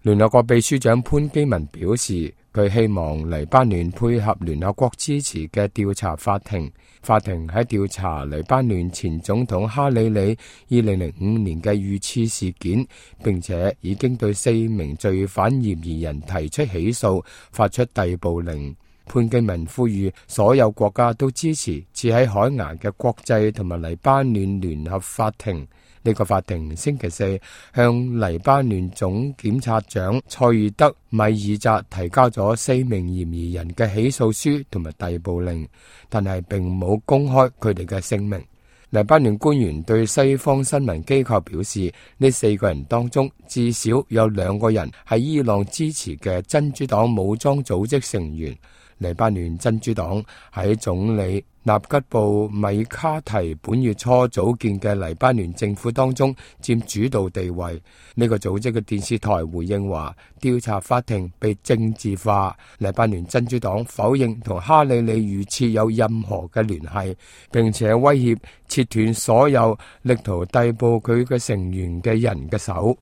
聯合國秘書長潘基文表示，佢希望黎巴嫩配合聯合國支持嘅調查法庭。法庭喺調查黎巴嫩前總統哈里里2005年嘅遇刺事件，並且已經對4名罪犯嫌疑人提出起訴，發出逮捕令。潘基文呼籲所有國家都支持設喺海牙嘅國際同埋黎巴嫩聯合法庭。呢個法庭星期四向黎巴嫩總檢察長塞爾德米爾扎提交咗4名嫌疑人嘅起訴書同埋逮捕令，但係並冇公開佢哋嘅姓名。黎巴嫩官員對西方新聞機構表示，呢4個人當中至少有2個人係伊朗支持嘅真主黨武裝組織成員。黎巴嫩真主黨喺總理納吉布米卡提本月初組建嘅黎巴嫩政府當中佔主導地位。呢個組織嘅電視台回應話，調查法庭被政治化。黎巴嫩真主黨否認同哈里里遇刺有任何嘅聯繫，並且威脅切斷所有力圖逮捕佢嘅成員嘅人嘅手。